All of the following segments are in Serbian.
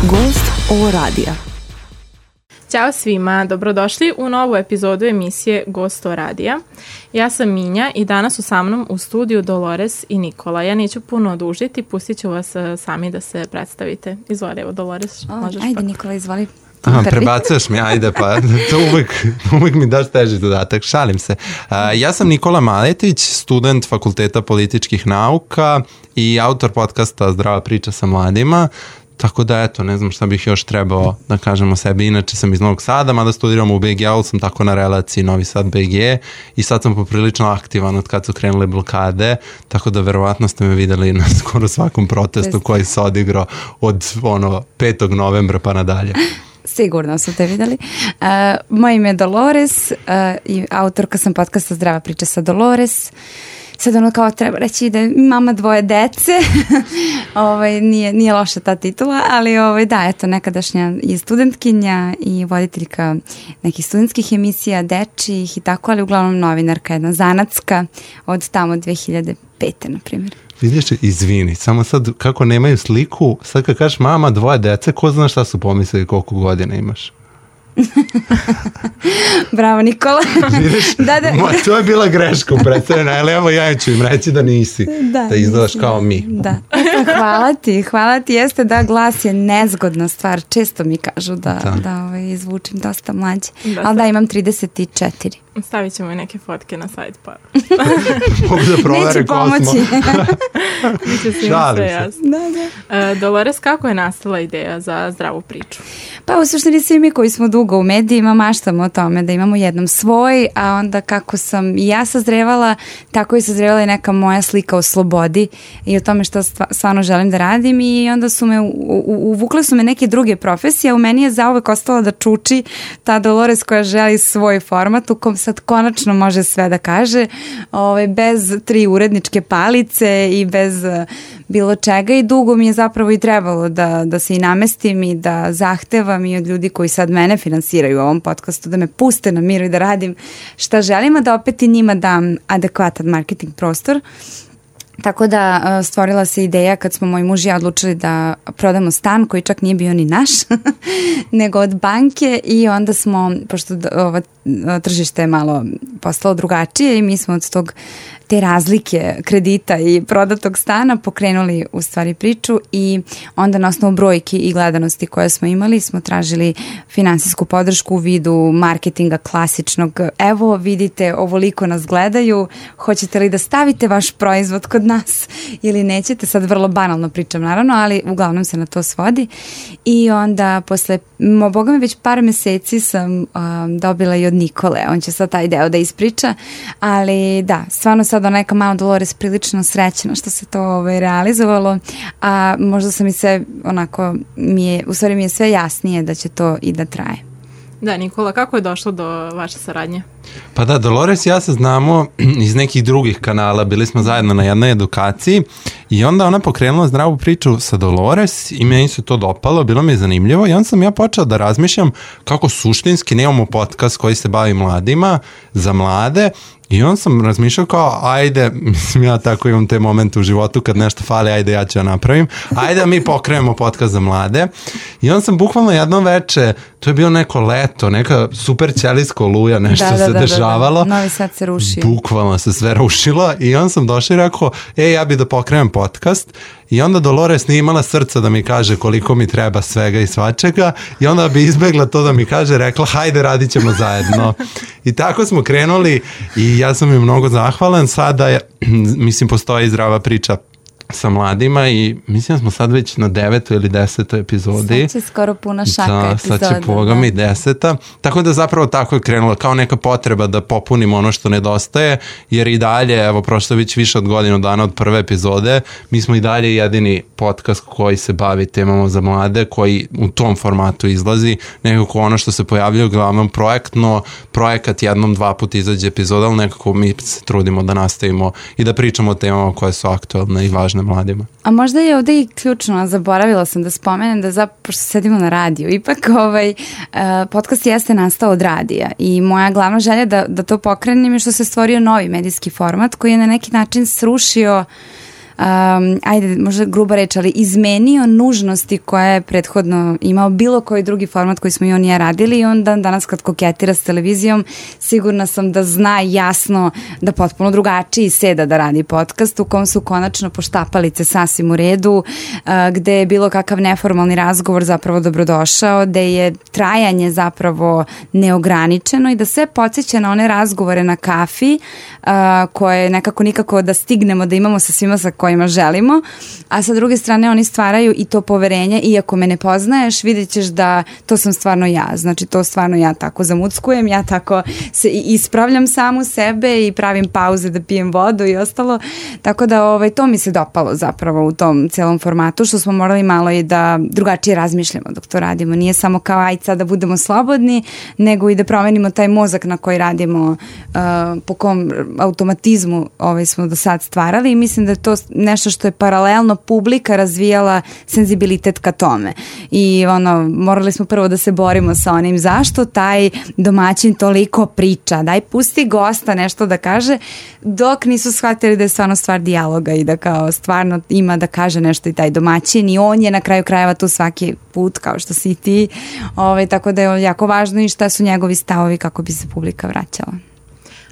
Gost ovo radija. Ćao svima, dobrodošli u novu epizodu emisije Gost ovo radija. Ja sam Minja i danas su sa mnom u studiju Dolores i Nikola. Ja neću puno odužiti, pustit ću vas sami da se predstavite. Izvoli, evo Dolores, možeš ajde pa. Nikola, izvoli. Prebacuješ mi, ajde pa, to uvijek mi daš teži dodatak, šalim se. Ja sam Nikola Maletić, student Fakulteta političkih nauka i autor podcasta Zdrava priča sa mladima. Tako da eto, ne znam šta bih još trebao da kažem o sebi. Inače sam iz Novog Sada, mada studiram u BG, ali sam tako na relaciji Novi Sad BG i sad sam poprilično aktivan od kad su krenule blokade, tako da verovatno ste me videli na skoro svakom protestu koji se odigrao od 5. novembra pa nadalje. Sigurno su te videli. Moje ime je Dolores i autorka sam podcasta Zdrava priča sa Dolores. Sad kao treba reći da je mama 2 dece, nije loša ta titula, ali da, eto, nekadašnja i studentkinja i voditeljka nekih studentskih emisija, dečijih i tako, ali uglavnom novinarka, jedna zanatska od tamo 2005. na primjer. Vidiš, izvini, samo sad kako nemaju sliku, sad kad kažeš mama 2 dece, ko zna šta su pomislili koliko godina imaš? Bravo Nikola. Vidiš, to je bila greška u predstavljanju, ali evo ja ću im reći da nisi, da izgledaš kao mi. Da. Hvala ti, jeste da glas je nezgodna stvar, često mi kažu da zvučim dosta mlađe, ali da imam 34. Stavit ćemo i neke fotke na sajt pa. Mogu da provere ko smo. Biće svima sve jasno. Dolores, kako je nastala ideja za Zdravu priču? Pa u suštini svi mi koji smo dugo u medijima maštamo o tome da imamo jednom svoj, a onda kako sam i ja sazrevala, tako i sazrevala i neka moja slika o slobodi i o tome što stvarno želim da radim i onda su me uvukle su me neke druge profesije, a u meni je zauvek ostala da čuči ta Dolores koja želi svoj format u kom sad konačno može sve da kaže, bez 3 uredničke palice i bez bilo čega i dugo mi je zapravo i trebalo da se i namestim i da zahtevam i od ljudi koji sad mene finansiraju u ovom podcastu da me puste na miru i da radim šta želim, a da opet i njima dam adekvatan marketing prostor. Tako da stvorila se ideja kad smo moj muž i ja odlučili da prodamo stan koji čak nije bio ni naš, nego od banke i onda smo, pošto ovo tržište je malo postalo drugačije i mi smo od te razlike kredita i prodatog stana pokrenuli u stvari priču i onda na osnovu brojki i gledanosti koje smo imali smo tražili finansijsku podršku u vidu marketinga klasičnog. Evo vidite, ovoliko nas gledaju, hoćete li da stavite vaš proizvod kod nas ili nećete? Sad vrlo banalno pričam naravno, ali uglavnom se na to svodi i onda posle, boga mi već par meseci sam dobila i od Nikole, on će sad taj deo da ispriča, ali da, stvarno sad neka malo Dolores prilično srećna što se to realizovalo, a možda sam i sve onako, u stvari mi je sve jasnije da će to i da traje. Da, Nikola, kako je došlo do vaše saradnje? Pa da, Dolores i ja se znamo iz nekih drugih kanala, bili smo zajedno na jednoj edukaciji i onda ona pokrenula Zdravu priču sa Dolores i meni se to dopalo, bilo mi je zanimljivo i onda sam ja počeo da razmišljam kako suštinski nemamo podcast koji se bavi mladima, za mlade. I on sam razmišljao kao, ajde, mislim ja tako imam te momente u životu kad nešto fali, ajde ja ću ja napravim, ajde da mi pokrenemo podcast za mlade. I on sam bukvalno jedno veče, to je bilo neko leto, neka super ćelijsko oluja, nešto se dešavalo. Novi Sad se rušio. Bukvalno se sve rušilo i on sam došao i rekao, ja bi da pokrenem podcast. I onda Dolores nije imala srca da mi kaže koliko mi treba svega i svačega i onda bi izbegla to da mi kaže, rekla hajde radit ćemo zajedno. I tako smo krenuli i ja sam im mnogo zahvalan. Sada mislim postoji Zdrava priča sa mladima i mislim da smo sad već na 9. ili 10. epizodi. Sad će skoro puna šaka epizoda. Sad će Boga mi 10. Tako da zapravo tako je krenulo, kao neka potreba da popunimo ono što nedostaje, jer i dalje, evo prošlo već više od godinu dana od prve epizode, mi smo i dalje jedini podcast koji se bavi temama za mlade, koji u tom formatu izlazi, nekako ono što se pojavljuje uglavnom projekat 1-2 puta izađe epizoda, ali nekako mi se trudimo da nastavimo i da pričamo o temama koje su aktualne i važne mladima. A možda je ovdje i ključno, zaboravila sam da spomenem da zapravo sedimo na radiju. Ipak podcast jeste nastao od radija i moja glavna želja da to pokrenem je što se stvorio novi medijski format koji je na neki način srušio ajde, možda gruba reč, ali izmenio nužnosti koje je prethodno imao bilo koji drugi format koji smo i on i ja radili, i onda danas kad koketira s televizijom, sigurna sam da zna jasno da potpuno drugačiji seda da radi podcast u kom su konačno poštapalice sasvim u redu, gde je bilo kakav neformalni razgovor zapravo dobrodošao, gde je trajanje zapravo neograničeno i da sve podsjeća na one razgovore na kafi koje nekako nikako da stignemo da imamo sa svima sa kojima želimo, a sa druge strane oni stvaraju i to poverenje, iako me ne poznaješ, vidjet ćeš da to sam stvarno ja, znači to stvarno ja tako zamuckujem, ja tako se ispravljam samu sebe i pravim pauze da pijem vodu i ostalo, tako da to mi se dopalo zapravo u tom celom formatu, što smo morali malo i da drugačije razmišljamo dok to radimo, nije samo kao aj sad da budemo slobodni, nego i da promenimo taj mozak na koji radimo, po kom automatizmu smo do sad stvarali, i mislim da je to nešto što je paralelno publika razvijala senzibilitet ka tome. I morali smo prvo da se borimo sa onim zašto taj domaćin toliko priča, daj pusti gosta nešto da kaže, dok nisu shvatili da je stvarno stvar dijaloga i da kao stvarno ima da kaže nešto i taj domaćin, i on je na kraju krajeva tu svaki put kao što si i ti, tako da je jako važno i šta su njegovi stavovi kako bi se publika vraćala.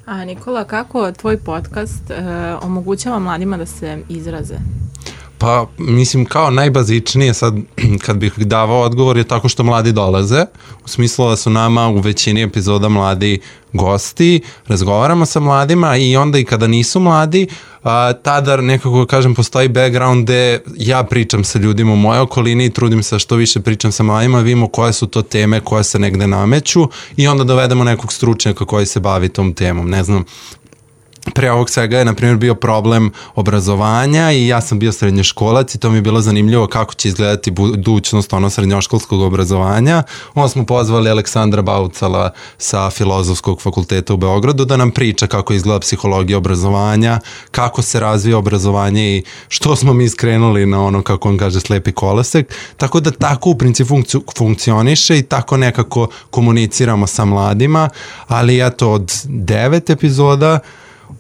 A Nikola, kako tvoj podcast omogućava mladima da se izraze? Pa, mislim, kao najbazičnije sad, kad bih davao odgovor, je tako što mladi dolaze, u smislu da su nama u većini epizoda mladi gosti, razgovaramo sa mladima, i onda i kada nisu mladi, tada nekako, kažem, postoji background gde ja pričam sa ljudima u mojoj okolini i trudim se što više pričam sa mladima, vidimo koje su to teme koje se negde nameću, i onda dovedemo nekog stručnjaka koji se bavi tom temom. Ne znam, pre ovog svega je, na primjer, bio problem obrazovanja, i ja sam bio srednjoškolac i to mi je bilo zanimljivo kako će izgledati budućnost srednjoškolskog obrazovanja. Onda smo pozvali Aleksandra Baucala sa Filozofskog fakulteta u Beogradu da nam priča kako izgleda psihologija obrazovanja, kako se razvija obrazovanje i što smo mi skrenuli na kako on kaže, slepi kolosek. Tako da tako u principu funkcioniše i tako nekako komuniciramo sa mladima, ali eto, od 9 epizoda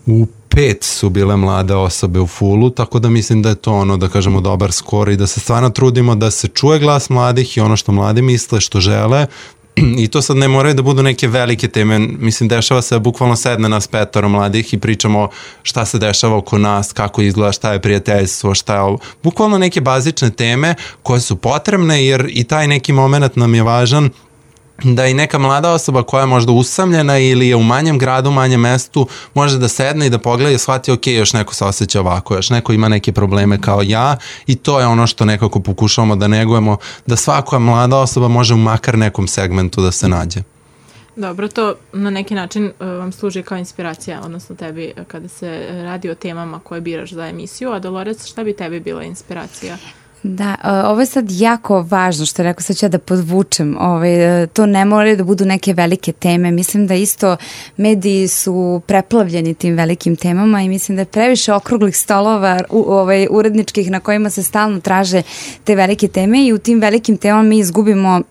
u 5 su bile mlade osobe u fullu, tako da mislim da je to da kažemo, dobar skor i da se stvarno trudimo da se čuje glas mladih i ono što mladi misle, što žele. I to sad ne moraju da budu neke velike teme, mislim, dešava se bukvalno sedne nas 5 mladih i pričamo šta se dešava oko nas, kako izgleda, šta je prijateljstvo, šta je ovo. Bukvalno neke bazične teme koje su potrebne, jer i taj neki moment nam je važan, da i neka mlada osoba koja je možda usamljena ili je u manjem gradu, manjem mestu, može da sedne i da pogleda i shvati, ok, još neko se osjeća ovako, još neko ima neke probleme kao ja, i to je ono što nekako pokušavamo da negujemo, da svaka mlada osoba može u makar nekom segmentu da se nađe. Dobro, to na neki način vam služi kao inspiracija, odnosno tebi kada se radi o temama koje biraš za emisiju, a Dolores, šta bi tebi bila inspiracija? Da, ovo je sad jako važno što je rekao, sad ću ja da podvučem, to ne moraju da budu neke velike teme, mislim da isto mediji su preplavljeni tim velikim temama i mislim da je previše okruglih stolova uredničkih na kojima se stalno traže te velike teme i u tim velikim temama mi izgubimo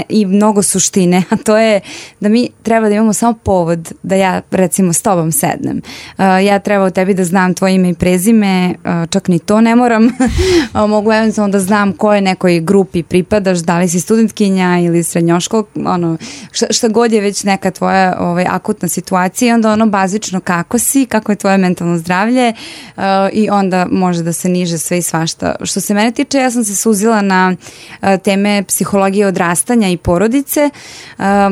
i mnogo suštine, a to je da mi treba da imamo samo povod da ja recimo s tobom sednem. Ja treba u tebi da znam tvoje ime i prezime, čak ni to ne moram. Mogu eventualno da znam kojoj nekoj grupi pripadaš, da li si studentkinja ili srednjoškol, šta god je već neka tvoja akutna situacija, i onda bazično kako si, kako je tvoje mentalno zdravlje, i onda može da se niže sve i svašta. Što se mene tiče, ja sam se suzila na teme psihologije odrastanja i porodice,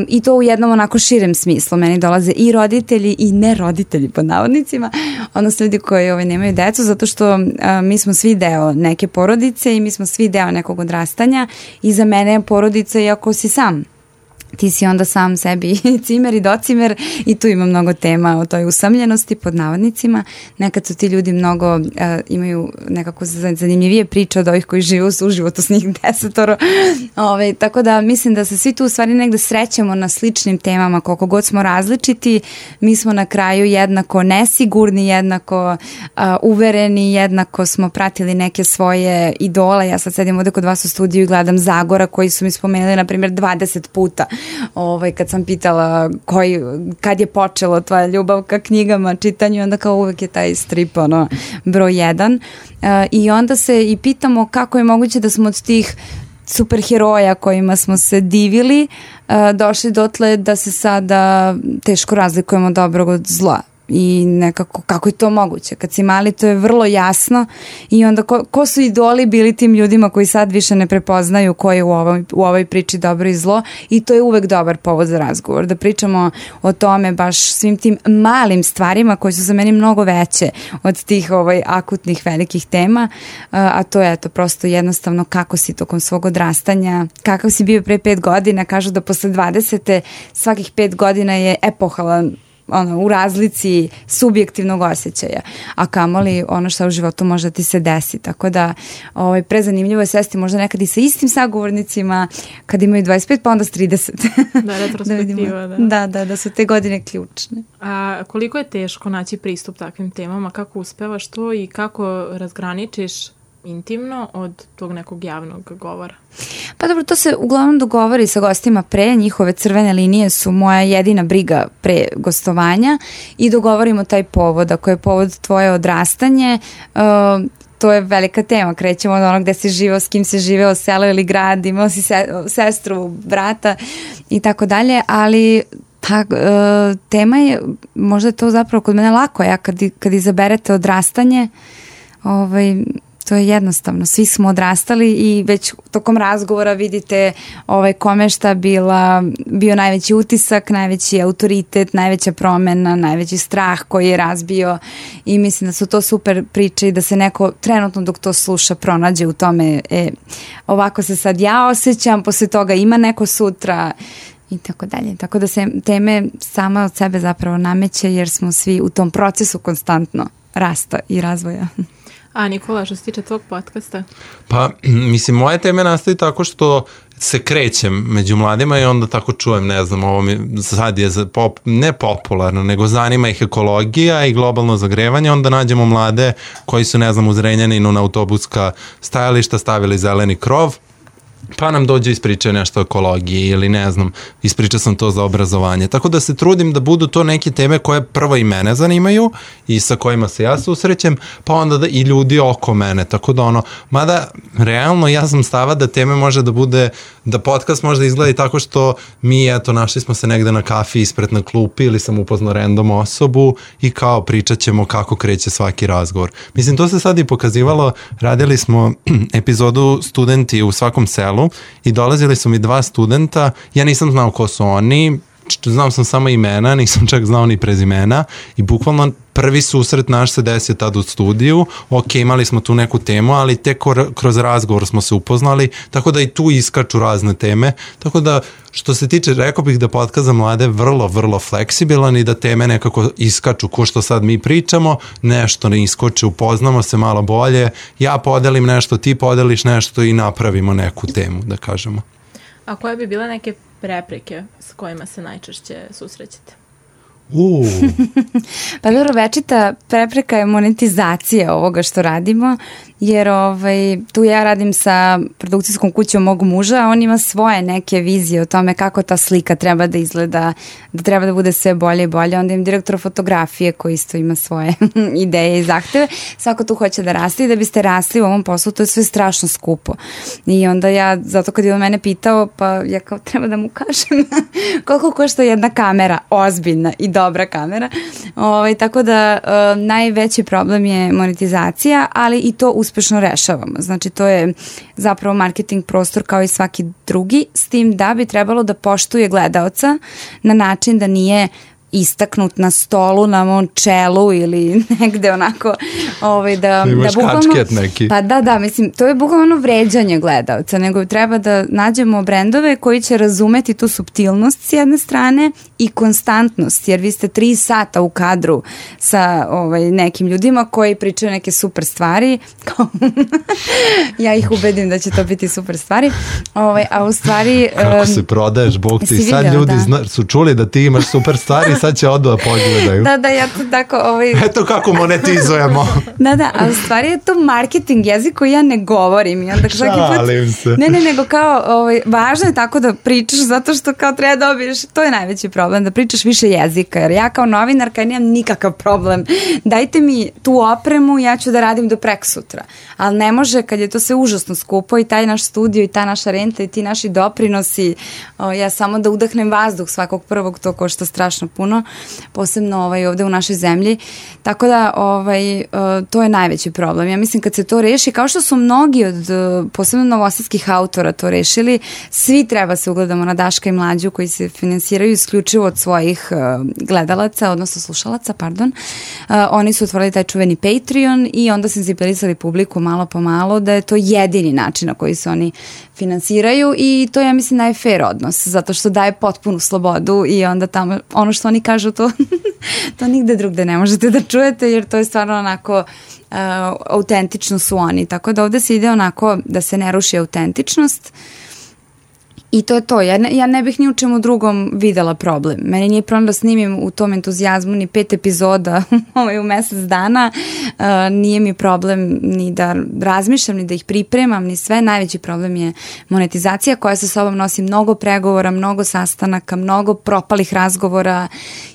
i to u jednom onako širem smislu. Meni dolaze i roditelji i neroditelji pod navodnicima, odnosno ljudi koji nemaju decu, zato što mi smo svi deo neke porodice i mi smo svi deo nekog odrastanja, i za mene je porodica iako si sam. Ti si onda sam sebi cimer i docimer, i tu ima mnogo tema o toj usamljenosti pod navodnicima. Nekad su ti ljudi mnogo imaju nekako zanimljivije priče od ovih koji žive u životu s njih 10. Tako da mislim da se svi tu u stvari negde srećemo na sličnim temama, koliko god smo različiti, mi smo na kraju jednako nesigurni, jednako uvereni, jednako smo pratili neke svoje idole. Ja sad sedim ovde kod vas u studiju i gledam Zagora koji su mi spomenuli na primjer 20 puta kad sam pitala kad je počelo tvoja ljubav ka knjigama, čitanju, onda kao uvek je taj strip broj 1. I onda se i pitamo kako je moguće da smo od tih superheroja kojima smo se divili došli dotle da se sada teško razlikujemo dobrog od zla. I nekako, kako je to moguće? Kad si mali, to je vrlo jasno i onda ko su idoli bili tim ljudima koji sad više ne prepoznaju ko je u ovoj priči dobro i zlo, i to je uvek dobar povod za razgovor, da pričamo o tome, baš svim tim malim stvarima koje su za meni mnogo veće od tih akutnih velikih tema, a to je prosto jednostavno kako si tokom svog odrastanja, kakav si bio pre 5 godina. Kažu da posle 20. svakih 5 godina je epohalan u razlici subjektivnog osjećaja, a kamoli ono što u životu može da ti se desi, tako da prezanimljivo je sesti možda nekad i sa istim sagovornicima kad imaju 25 pa onda s 30. Da, retrospektiva, da su te godine ključne. A koliko je teško naći pristup takvim temama, kako uspevaš to i kako razgraničiš intimno od tog nekog javnog govora? Pa dobro, to se uglavnom dogovori sa gostima pre, njihove crvene linije su moja jedina briga pre gostovanja i dogovorimo taj povod. Ako je povod tvoje odrastanje, to je velika tema, krećemo od onog gde si živeo, s kim si živeo, selo ili grad, imao si sestru, brata i tako dalje, ali tema je, možda je to zapravo kod mene lako, kad izaberete odrastanje, to je jednostavno, svi smo odrastali i već tokom razgovora vidite kome šta bio najveći utisak, najveći autoritet, najveća promena, najveći strah koji je razbio, i mislim da su to super priče i da se neko trenutno dok to sluša pronađe u tome, ovako se sad ja osjećam, posle toga ima neko sutra i tako dalje. Tako da se teme sama od sebe zapravo nameće jer smo svi u tom procesu konstantno rasta i razvoja. A Nikola, što se tiče tvog podcasta? Pa, mislim, moje teme nastaju tako što se krećem među mladima i onda tako čujem, ne znam, ovo mi sad je ne popularno, nego zanima ih ekologija i globalno zagrevanje, onda nađemo mlade koji su, ne znam, u Zrenjaninu na autobuska stajališta stavili zeleni krov, pa nam dođe ispričaju nešto o ekologiji ili ne znam, ispričao sam to za obrazovanje. Tako da se trudim da budu to neke teme koje prvo i mene zanimaju i sa kojima se ja susrećem, pa onda i ljudi oko mene. Tako da mada realno ja sam stava da teme može da bude, da podcast možda izgleda i tako što mi, našli smo se negde na kafi ispred na klupi ili sam upoznao random osobu i kao pričat ćemo kako kreće svaki razgovor. Mislim, to se sad i pokazivalo, radili smo epizodu Studenti u svakom selu i dolazili su mi 2 studenta, ja nisam znao ko su oni, znao sam samo imena, nisam čak znao ni prezimena i bukvalno prvi susret naš se desio tad u studiju, ok, imali smo tu neku temu, ali tek kroz razgovor smo se upoznali, tako da i tu iskaču razne teme, tako da što se tiče, rekao bih da podcast za mlade vrlo, vrlo fleksibilan i da teme nekako iskaču, ko što sad mi pričamo, nešto ne iskoče, upoznamo se malo bolje, ja podelim nešto, ti podeliš nešto i napravimo neku temu, da kažemo. A koje bi bile neke prepreke s kojima se najčešće susrećete? Pa dobro, večita prepreka je monetizacija ovoga što radimo, jer tu ja radim sa produkcijskom kućom mog muža, a on ima svoje neke vizije o tome kako ta slika treba da izgleda, da treba da bude sve bolje i bolje. Onda im direktor fotografije koji isto ima svoje ideje i zahteve. Svako tu hoće da raste i da biste rasli u ovom poslu, to je sve strašno skupo. I onda ja, zato kad je on mene pitao, pa ja kao treba da mu kažem koliko košta jedna kamera, ozbiljna i dobra kamera. Tako da najveći problem je monetizacija, ali i to uspešno rešavamo. Znači to je zapravo marketing prostor kao i svaki drugi, s tim da bi trebalo da poštuje gledaoca na način da nije istaknut na stolu, na mom čelu ili negde onako da imaš kačket neki. Pa da, mislim, to je bukvalno vređanje gledaoca, nego treba da nađemo brendove koji će razumeti tu suptilnost s jedne strane i konstantnost, jer vi ste 3 sata u kadru sa nekim ljudima koji pričaju neke super stvari, ja ih ubedim da će to biti super stvari, a u stvari kako se prodaješ, Bog ti, sad ljudi su čuli da ti imaš super stvari, sad će odu da pogledaju. Da, ja to tako... Eto kako monetizujemo. Da, a u stvari je to marketing jezik koji ja ne govorim. I onda šalim se. Ne, nego kao, važno je tako da pričaš zato što kao treba dobiješ, to je najveći problem, da pričaš više jezika, jer ja kao novinarka nemam nikakav problem. Dajte mi tu opremu, ja ću da radim do preksutra. Ali ne može kad je to sve užasno skupo i taj naš studio i ta naša renta i ti naši doprinosi, ja samo da udahnem vazduh svakog prvog, to košta strašno puno, posebno ovde u našoj zemlji. Tako da to je najveći problem. Ja mislim kad se to reši, kao što su mnogi od posebno novosadskih autora to rešili, svi treba se ugledamo na Daška i Mlađu koji se finansiraju isključivo od svojih gledalaca, odnosno slušalaca, pardon. Oni su otvorili taj čuveni Patreon i onda senzibilisali publiku malo po malo da je to jedini način na koji se oni finansiraju i to je, ja mislim, najfair odnos, zato što daje potpunu slobodu i onda tamo, ono što oni kažu, to nigde drugde ne možete da čujete, jer to je stvarno onako autentično su oni, tako da ovde se ide onako da se ne ruši autentičnost. I to je to. Ja ne bih ni u čemu drugom videla problem. Meni nije problem da snimim u tom entuzijazmu ni 5 epizoda u mesec dana. Nije mi problem ni da razmišljam, ni da ih pripremam, ni sve. Najveći problem je monetizacija koja sa sobom nosi mnogo pregovora, mnogo sastanaka, mnogo propalih razgovora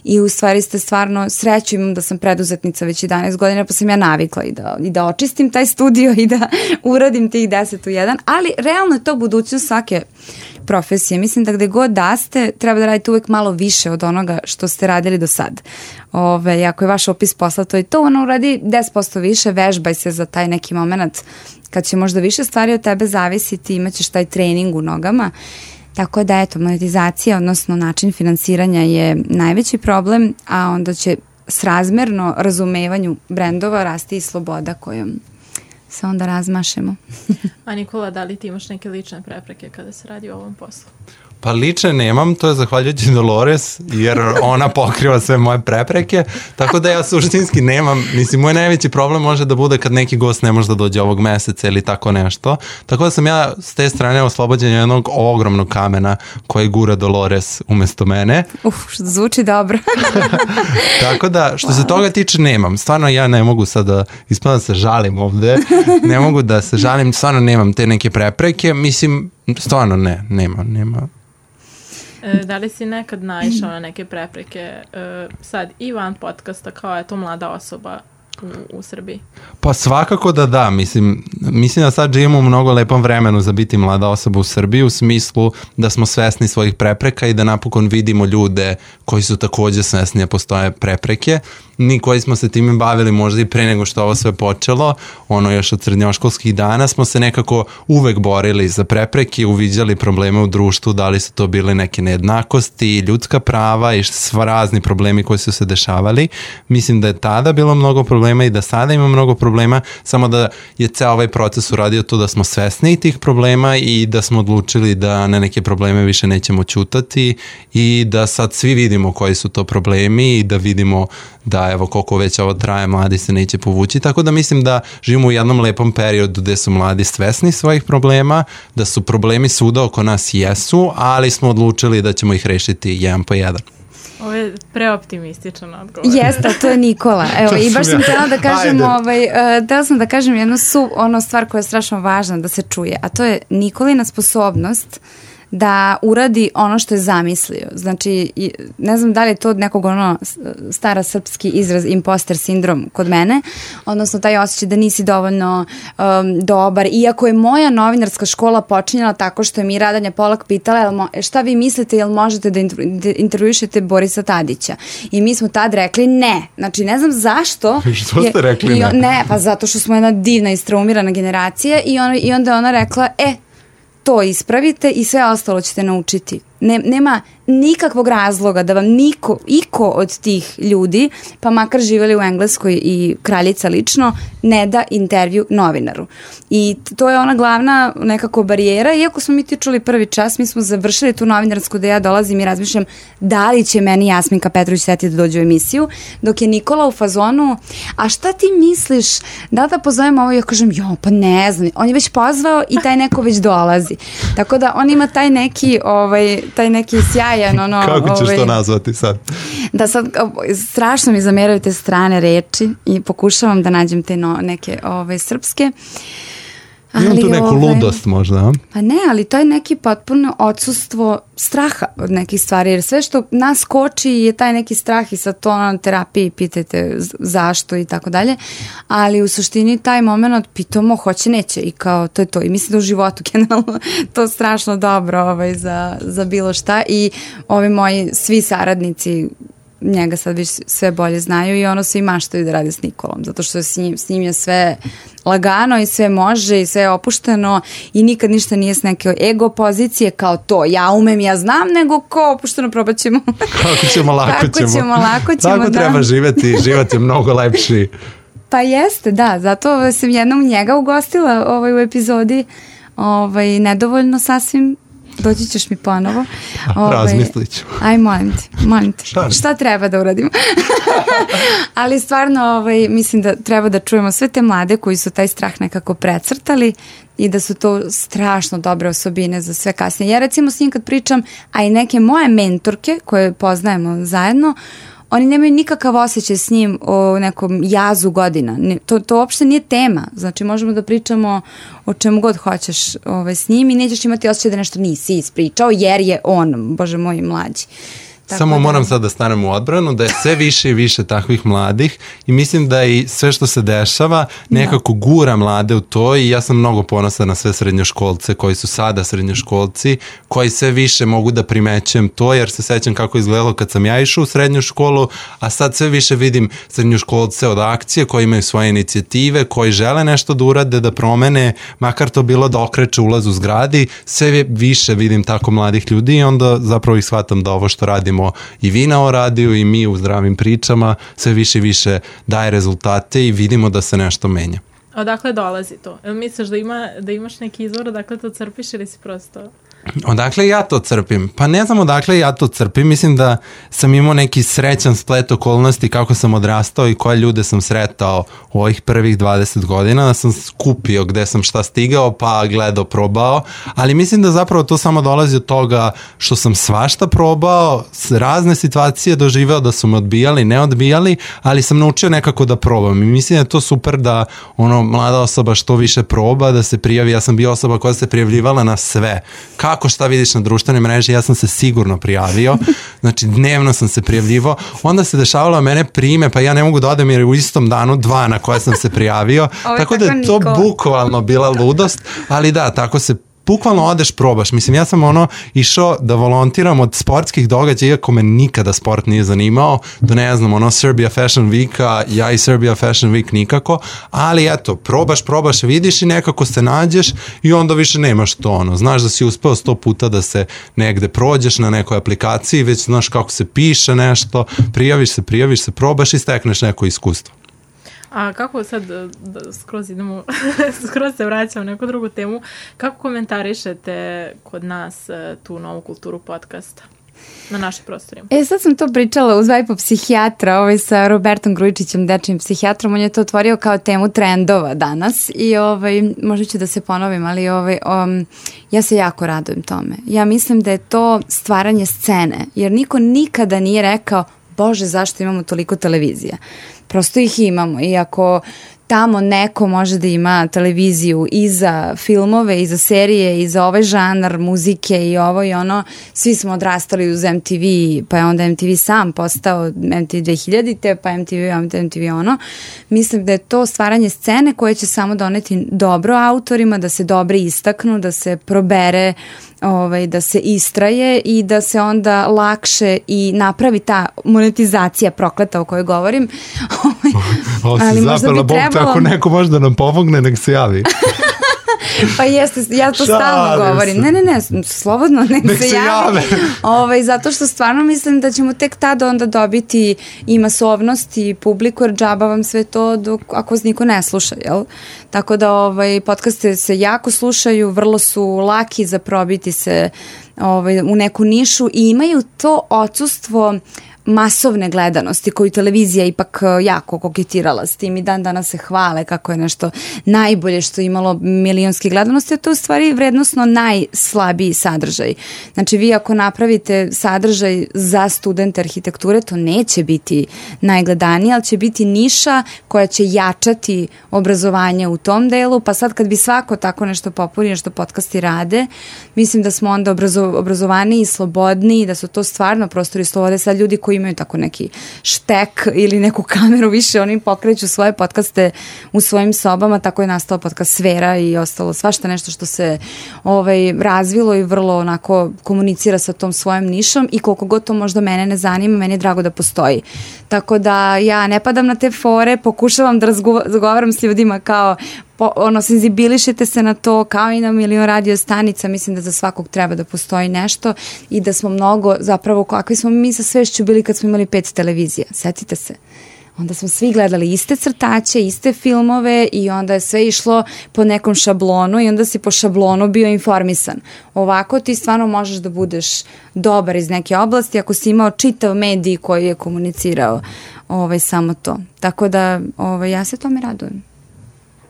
i u stvari ste stvarno sreću imam da sam preduzetnica već 11 godina, pa sam ja navikla i da očistim taj studio i da uradim tih 10 u 1, ali realno je to budućnost svake profesije. Mislim da gde god da ste, treba da radite uvek malo više od onoga što ste radili do sad. Ako je vaš opis posla, to je to, ono uradi 10% više, vežbaj se za taj neki moment kad će možda više stvari od tebe zavisiti, imaćeš taj trening u nogama. Tako da, eto, monetizacija, odnosno način finansiranja je najveći problem, a onda će srazmerno razumevanju brendova rasti i sloboda kojom se onda razmašemo. A Nikola, da li ti imaš neke lične prepreke kada se radi o ovom poslu? Pa lične nemam, to je zahvaljujući Dolores, jer ona pokriva sve moje prepreke, tako da ja suštinski nemam, mislim, moj najveći problem može da bude kad neki gost ne može da dođe ovog meseca ili tako nešto, tako da sam ja s te strane oslobođen jednog ogromnog kamena koji gura Dolores umesto mene. Što zvuči dobro. Tako da, što se toga tiče, nemam. Stvarno ja ne mogu sad da ispada se žalim ovde, ne mogu da se žalim, stvarno nemam te neke prepreke, mislim, stvarno nema. Da li si nekad naišao na neke prepreke sad i van podcasta kao je to mlada osoba u Srbiji? Pa svakako da, mislim da sad živimo u mnogo lepom vremenu za biti mlada osoba u Srbiji, u smislu da smo svesni svojih prepreka i da napokon vidimo ljude koji su takođe svesni da postoje prepreke. Mi koji smo se time bavili možda i pre nego što ovo sve počelo, još od srednjoškolskih dana smo se nekako uvek borili za prepreke, uviđali probleme u društvu, da li su to bile neke nejednakosti, ljudska prava i sva razni problemi koji su se dešavali. Mislim da je tada bilo mnogo problema i da sada ima mnogo problema, samo da je ceo ovaj proces uradio to da smo svesni tih problema i da smo odlučili da na neke probleme više nećemo ćutati i da sad svi vidimo koji su to problemi i da vidimo da evo koliko već ovo traje, mladi se neće povući, tako da mislim da živimo u jednom lepom periodu gde su mladi svesni svojih problema, da su problemi svuda oko nas jesu, ali smo odlučili da ćemo ih rešiti jedan po jedan. Ovo je preoptimističan odgovor. Jeste, to je Nikola. Evo, i baš sam htjela da kažem, htjela sam da kažem jednu stvar koja je strašno važna da se čuje, a to je Nikolina sposobnost da uradi ono što je zamislio. Znači, ne znam da li je to od nekog stara srpski izraz imposter sindrom kod mene, odnosno taj osjećaj da nisi dovoljno dobar. Iako je moja novinarska škola počinjala tako što je mi Radanja Polak pitala šta vi mislite, jel možete da intervjušete Borisa Tadića? I mi smo tad rekli ne. Znači, ne znam zašto. Što ste rekli ne? Ne, pa zato što smo jedna divna istraumirana generacija i onda ona rekla, to ispravite i sve ostalo ćete naučiti. Nema nikakvog razloga da vam iko od tih ljudi, pa makar živjeli u Engleskoj i kraljica lično, ne da intervju novinaru. I to je ona glavna nekako barijera. Iako smo mi ti čuli prvi čas, mi smo završili tu novinarsku da ja dolazim i razmišljam da li će meni Jasminka Petrović seti da dođe u emisiju, dok je Nikola u fazonu, a šta ti misliš, da pozovemo ovo? Ja kažem, pa ne znam, on je već pozvao i taj neko već dolazi. Tako da on ima taj neki taj neki sjajan ono... Kako ćeš to nazvati sad? Da sad, strašno mi zameraju te strane reči i pokušavam da nađem te neke srpske. Imam tu neku ludost možda, a? Pa ne, ali to je neki potpuno odsustvo straha od nekih stvari, jer sve što nas koči je taj neki strah i sad to na terapiji pitajte zašto i tako dalje, ali u suštini taj moment pitamo hoće, neće i kao to je to i mislim da u životu generalno to strašno dobro za bilo šta i ovi moji svi saradnici njega sad već sve bolje znaju i ono svi maštaju da rade s Nikolom, zato što s njim je sve lagano i sve može i sve je opušteno i nikad ništa nije s neke ego pozicije kao to, ja umem, ja znam, nego ko opušteno probat ćemo. Kako ćemo, lako ćemo. Tako da. Treba živjeti, život je mnogo lepši. Pa jeste, da, zato sam jednom njega ugostila u epizodi, nedovoljno sasvim. Doći ćeš mi ponovo. Razmislit ću. Aj, molim te. Šta treba da uradimo? Ali stvarno mislim da treba da čujemo sve te mlade koji su taj strah nekako precrtali i da su to strašno dobre osobine za sve kasnije. Ja recimo s njim kad pričam, a i neke moje mentorke koje poznajemo zajedno, oni nemaju nikakav osjećaj s njim o nekom jazu godina. To uopšte nije tema. Znači možemo da pričamo o čemu god hoćeš s njim i nećeš imati osjećaj da nešto nisi ispričao jer je on, Bože moj, mlađi. Samo moram sad da stanem u odbranu, da je sve više i više takvih mladih i mislim da i sve što se dešava nekako gura mlade u to i ja sam mnogo ponosan na sve srednjoškolce koji su sada srednjoškolci, koji sve više mogu da primećujem to, jer se sećam kako je izgledalo kad sam ja išao u srednju školu, a sad sve više vidim srednjoškolce od akcije koji imaju svoje inicijative, koji žele nešto da urade, da promene, makar to bilo da okreće ulaz u zgradi, sve više vidim tako mladih ljudi i onda zapravo ih shvatam da ovo što radimo i vi na radiju i mi u zdravim pričama sve više i više daje rezultate i vidimo da se nešto menja. Odakle dolazi to? Misliš da imaš neki izvor, odakle to crpiš ili si prosto... Odakle ja to crpim? Pa ne znam odakle ja to crpim, mislim da sam imao neki srećan splet okolnosti kako sam odrastao i koje ljude sam sretao u ovih prvih 20 godina, da sam skupio gde sam šta stigao pa gledao, probao, ali mislim da zapravo to samo dolazi od toga što sam svašta probao, razne situacije doživeo da su me odbijali, ne odbijali, ali sam naučio nekako da probam i mislim da je to super da mlada osoba što više proba, da se prijavi. Ja sam bio osoba koja se prijavljivala na sve. Kako šta vidiš na društvenoj mreži, ja sam se sigurno prijavio, znači dnevno sam se prijavljivao, onda se dešavalo mene prime, pa ja ne mogu da odem jer u istom danu 2 na koje sam se prijavio, tako da je to bukvalno bila ludost, ali da, tako se bukvalno odeš, probaš. Mislim, ja sam išao da volontiram od sportskih događaja, iako me nikada sport nije zanimao, do ne znam, Serbia Fashion Weeka, ja i Serbia Fashion Week nikako, ali eto, probaš, vidiš i nekako se nađeš i onda više nemaš to, znaš da si uspeo 100 puta da se negde prođeš na nekoj aplikaciji, već znaš kako se piše nešto, prijaviš se, probaš i stekneš neko iskustvo. A kako sad, skroz se vraćam na neku drugu temu, kako komentarišete kod nas tu novu kulturu podcasta na našim prostorima? Sad sam to pričala uz Vajpo psihijatra, sa Robertom Grujičićem, dečijim psihijatrom, on je to otvorio kao temu trendova danas i možda ću da se ponovim, ali ja se jako radujem tome. Ja mislim da je to stvaranje scene, jer niko nikada nije rekao, Bože, zašto imamo toliko televizija? Prosto ih imamo i ako tamo neko može da ima televiziju i za filmove, i za serije, i za ovaj žanar muzike i ovo i ono, svi smo odrastali uz MTV, pa je onda MTV sam postao MTV 2000-te, pa MTV ono. Mislim da je to stvaranje scene koje će samo doneti dobro autorima, da se dobro istaknu, da se probere, da se istraje i da se onda lakše i napravi ta monetizacija prokleta o kojoj govorim. Ali možda bi trebalo... Ako neko može da nam pomogne, nek se javi. Pa jeste, ja to stalno govorim. Ne, slobodno nek se jave. Zato što stvarno mislim da ćemo tek tada onda dobiti i masovnost i publiku, jer džaba vam sve to ako vas niko ne sluša, jel? Tako da podcaste se jako slušaju, vrlo su laki za probiti se u neku nišu i imaju to odsustvo masovne gledanosti koju televizija ipak jako koketirala s tim i dan danas se hvale kako je nešto najbolje što je imalo milionske gledanosti, a to je u stvari vrednosno najslabiji sadržaj. Znači vi ako napravite sadržaj za studente arhitekture, to neće biti najgledanije, ali će biti niša koja će jačati obrazovanje u tom delu, pa sad kad bi svako tako nešto popunio što podcasti rade, mislim da smo onda obrazovaniji i slobodniji, da su to stvarno prostori slobode. Sad ljudi koji imaju tako neki štek ili neku kameru više, oni pokreću svoje podcaste u svojim sobama, tako je nastao podcast Sfera i ostalo svašta nešto što se razvilo i vrlo onako komunicira sa tom svojom nišom i koliko god to možda mene ne zanima, meni je drago da postoji. Tako da ja ne padam na te fore, pokušavam da razgovaram s ljudima kao senzibilišite se na to, kao i na milion radio stanica. Mislim da za svakog treba da postoji nešto i da smo mnogo, zapravo kakvi smo mi sa svešću bili kad smo imali 5 televizija, setite se. Onda smo svi gledali iste crtače, iste filmove i onda je sve išlo po nekom šablonu i onda si po šablonu bio informisan. Ovako ti stvarno možeš da budeš dobar iz neke oblasti ako si imao čitav medij koji je komunicirao samo to. Tako da ja se tome radujem.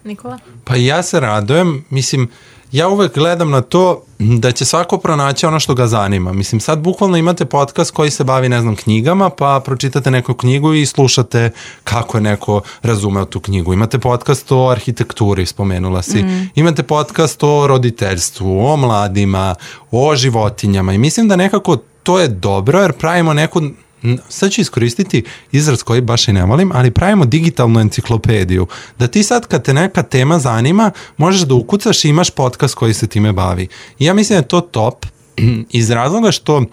Nikola? Pa ja se radujem, mislim, ja uvek gledam na to da će svako pronaći ono što ga zanima. Mislim, sad bukvalno imate podcast koji se bavi, ne znam, knjigama, pa pročitate neku knjigu i slušate kako je neko razumeo tu knjigu. Imate podcast o arhitekturi, spomenula si. Imate podcast o roditeljstvu, o mladima, o životinjama i mislim da nekako to je dobro jer pravimo neku, sad ću iskoristiti izraz koji baš i ne volim, ali pravimo digitalnu enciklopediju. Da ti sad kad te neka tema zanima, možeš da ukucaš i imaš podcast koji se time bavi. I ja mislim da je to top iz razloga što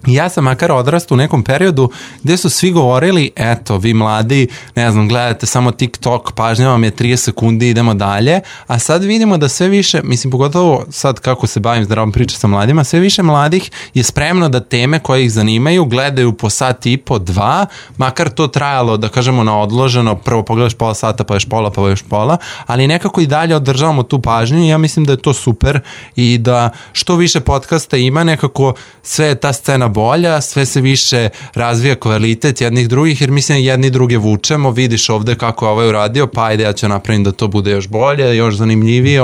ja sam makar odrastao u nekom periodu gdje su svi govorili, eto, vi mladi, ne znam, gledate samo TikTok, pažnja vam je 30 sekundi, idemo dalje, a sad vidimo da sve više, mislim, pogotovo sad kako se bavim zdravom priča sa mladima, sve više mladih je spremno da teme koje ih zanimaju gledaju po sat i po, 2, makar to trajalo, da kažemo, na odloženo, prvo pogledaš pola sata, pa još pola, pa još pola, ali nekako i dalje održavamo tu pažnju i ja mislim da je to super i da što više podcasta ima, nekako sve je ta scena bolja, sve se više razvija kvalitet jednih drugih, jer mislim jedni druge vučemo, vidiš ovde kako je ovaj uradio, pa ajde ja ću napravim da to bude još bolje, još zanimljivije,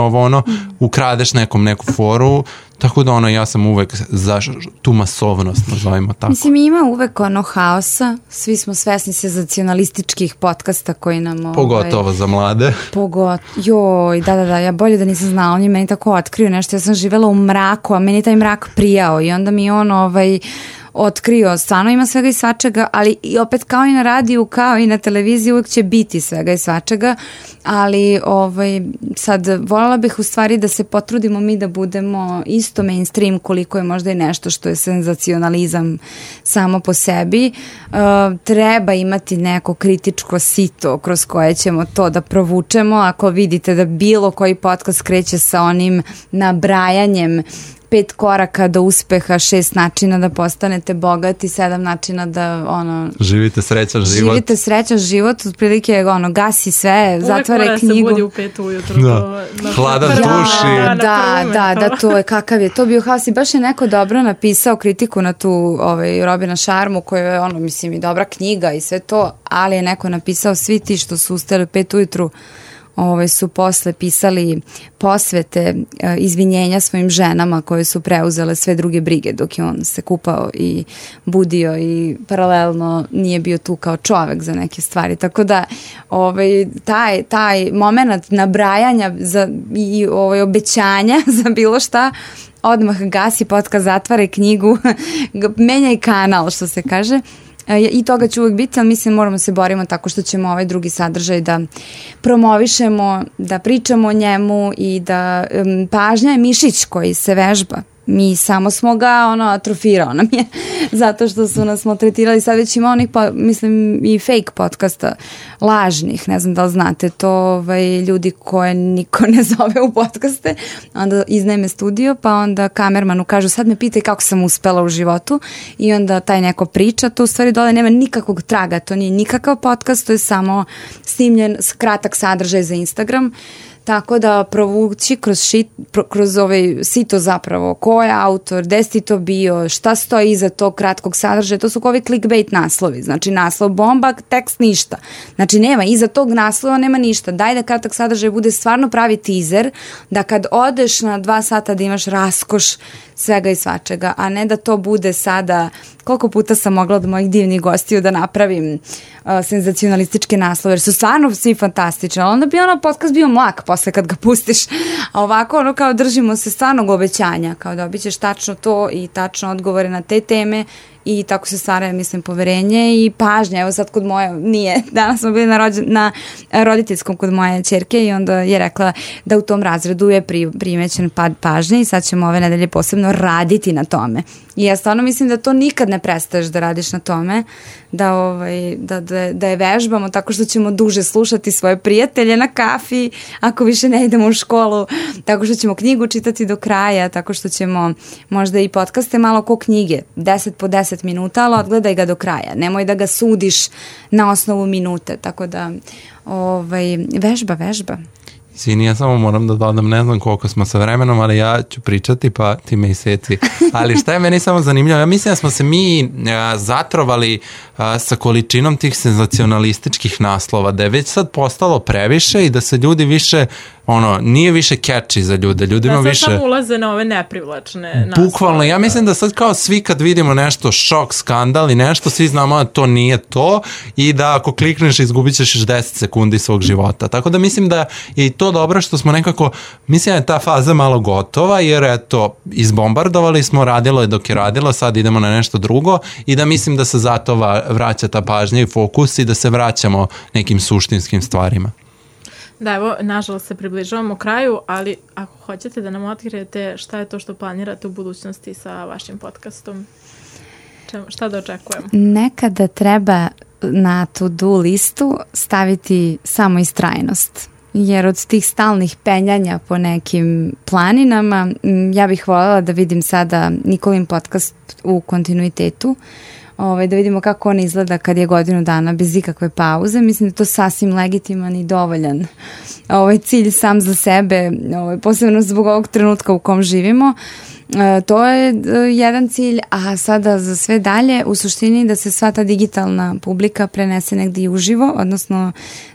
ukradeš neku foru, tako da ja sam uvek za tu masovnost, nazovimo tako. Mislim, ima uvek haosa, svi smo svesni senzacionalističkih podcasta koji nam... Pogotovo za mlade. Joj, da, ja bolje da nisam znala, on je meni tako otkrio nešto, ja sam živela u mraku, a meni taj mrak prijao i onda mi on otkrio, stvarno ima svega i svačega, ali i opet kao i na radiju, kao i na televiziji uvijek će biti svega i svačega, ali sad voljela bih u stvari da se potrudimo mi da budemo isto mainstream koliko je možda i nešto što je senzacionalizam samo po sebi. Treba imati neko kritičko sito kroz koje ćemo to da provučemo. Ako vidite da bilo koji podcast kreće sa onim nabrajanjem 5 koraka do uspeha, 6 načina da postanete bogati, 7 načina da živite srećan život. Živite srećan život, otprilike gasi sve, zatvara knjigu. Uvijek mora se budi u 5 ujutru. Hladan tuši. Da, to je kakav je. To bio haos i baš je neko dobro napisao kritiku na tu Robina Sharmu, koja je mislim i dobra knjiga i sve to, ali je neko napisao svi ti što su ustali u 5 ujutru su posle pisali posvete, izvinjenja svojim ženama koje su preuzele sve druge brige dok je on se kupao i budio i paralelno nije bio tu kao čovek za neke stvari. Tako da taj moment nabrajanja i obećanja za bilo šta odmah gasi podcast, zatvara knjigu, menjaj kanal, što se kaže. I toga će uvijek biti, ali mislim moramo se borimo tako što ćemo ovaj drugi sadržaj da promovišemo, da pričamo o njemu i da pažnja je mišić koji se vežba. Mi samo smo ga atrofirao nam je zato što su nas maltretirali. Sad već ima onih mislim i fake podcasta lažnih, ne znam da li znate to, ljudi koje niko ne zove u podcaste, onda iznajme studio pa onda kamermanu kažu sad me pitaj kako sam uspela u životu i onda taj neko priča, to u stvari dole nema nikakvog traga, to nije nikakav podcast, to je samo snimljen kratak sadržaj za Instagram. tako da provući kroz ovaj sito zapravo, ko je autor, gde si to bio, šta stoji iza tog kratkog sadržaja, to su ovi clickbait naslovi, znači naslov bomba, tekst ništa, znači nema, iza tog naslova nema ništa, daj da kratak sadržaj bude stvarno pravi teaser, da kad odeš na 2 sata da imaš raskoš svega i svačega, a ne da to bude sada, koliko puta sam mogla od mojih divnih gostiju da napravim senzacionalističke naslove, jer su stvarno svi fantastični, ali onda bi podcast bio mlak posle kad ga pustiš, a ovako kao držimo se stvarnog obećanja, kao da obićeš tačno to i tačno odgovore na te teme i tako se stvara, mislim, poverenje i pažnja. Evo sad kod moje, nije, danas smo bili na roditeljskom kod moje ćerke i onda je rekla da u tom razredu je primećen pad pažnje i sad ćemo ove nedelje posebno raditi na tome. I ja stvarno mislim da to nikad ne prestaješ da radiš na tome, da je vežbamo tako što ćemo duže slušati svoje prijatelje na kafi, ako više ne idemo u školu, tako što ćemo knjigu čitati do kraja, tako što ćemo možda i podcaste malo ko knjige, 10 po 10 minuta, ali odgledaj ga do kraja. Nemoj da ga sudiš na osnovu minute, tako da vežba. Izvini, ja samo moram da dodam, ne znam koliko smo sa vremenom, ali ja ću pričati pa ti me iseci. Ali šta je meni samo zanimljivo, ja mislim da smo se mi zatrovali sa količinom tih senzacionalističkih naslova, da je već sad postalo previše i da se ljudi više, nije više catchy za ljude. Ljudima više... Da, sad samo ulaze na ove neprivlačne naslove. Bukvalno, ja mislim da sad kao svi kad vidimo nešto, šok, skandal i nešto, svi znamo da to nije to i da ako klikneš izgubit ćeš 10 sekundi svog života. Tako da mislim da je i to dobro što smo nekako, mislim da je ta faza malo gotova, jer eto, izbombardovali smo, radilo je dok je radilo, sad idemo na nešto drugo i da mislim da se zato vraća ta pažnja i fokus i da se vraćamo nekim suštinskim stvarima. Da, evo, nažalost se približavamo kraju, ali ako hoćete da nam otkrijete šta je to što planirate u budućnosti sa vašim podcastom, šta da očekujemo? Nekada treba na to-do listu staviti samo istrajnost. Jer od tih stalnih penjanja po nekim planinama, ja bih voljela da vidim sada Nikolin podcast u kontinuitetu, da vidimo kako on izgleda kad je godinu dana bez ikakve pauze. Mislim da je to sasvim legitiman i dovoljan cilj sam za sebe, posebno zbog ovog trenutka u kom živimo. To je jedan cilj, a sada za sve dalje u suštini da se sva ta digitalna publika prenese negdje uživo, odnosno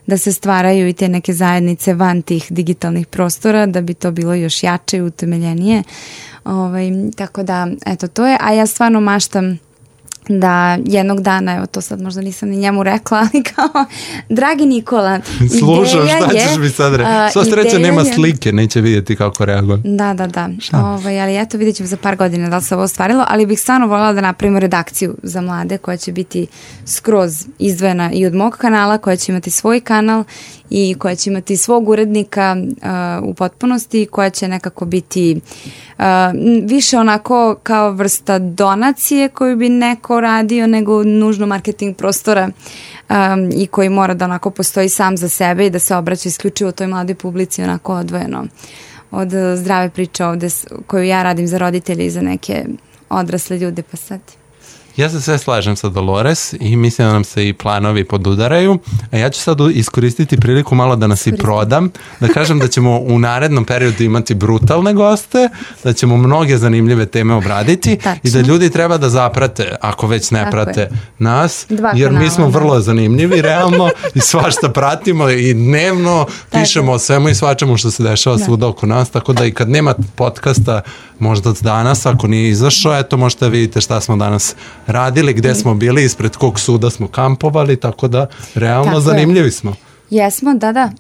da se stvaraju i te neke zajednice van tih digitalnih prostora, da bi to bilo još jače i utemeljenije. Tako da, eto, to je, a ja stvarno maštam da jednog dana, evo to sad možda nisam ni njemu rekla, ali kao, dragi Nikola, slušam, šta ćeš mi sad reći? Sva sreća nema slike, neće vidjeti kako reagujem. Da. Ali eto, vidjet ćemo za par godina da li se ovo ostvarilo, ali bih stvarno voljela da napravimo redakciju za mlade koja će biti skroz izdvojena i od mog kanala, koja će imati svoj kanal i koja će imati svog urednika u potpunosti, koja će nekako biti više onako kao vrsta donacije koju bi neko radio nego nužno marketing prostora i koji mora da onako postoji sam za sebe i da se obraća isključivo toj mladoj publici onako odvojeno od zdrave priče ovde koju ja radim za roditelje i za neke odrasle ljude, pa sad... Ja se sve slažem sa Dolores i mislim da nam se i planovi podudaraju, a ja ću sad iskoristiti priliku malo da nas i prodam, da kažem da ćemo u narednom periodu imati brutalne goste, da ćemo mnoge zanimljive teme obraditi. Tačno. I da ljudi treba da zaprate, ako već ne prate nas, jer mi smo vrlo zanimljivi realno i svašta pratimo i dnevno pišemo o svemu i svačemu što se dešava svuda oko nas, tako da i kad nema podcasta možda od danas, ako nije izašao, eto možete da vidite šta smo danas radili, gde smo bili, ispred kog suda smo kampovali, tako da realno tako zanimljivi smo. Jesmo, da.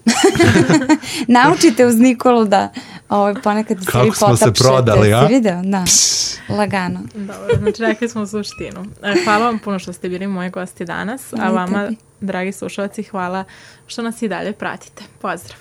Naučite uz Nikolu da ponekad se vi potapšete. Kako smo se prodali, a? Si video? Da. Lagano. Dobro, znači rekli smo suštinu. Hvala vam puno što ste bili moji gosti danas, a vama, dragi slušalci, hvala što nas i dalje pratite. Pozdrav!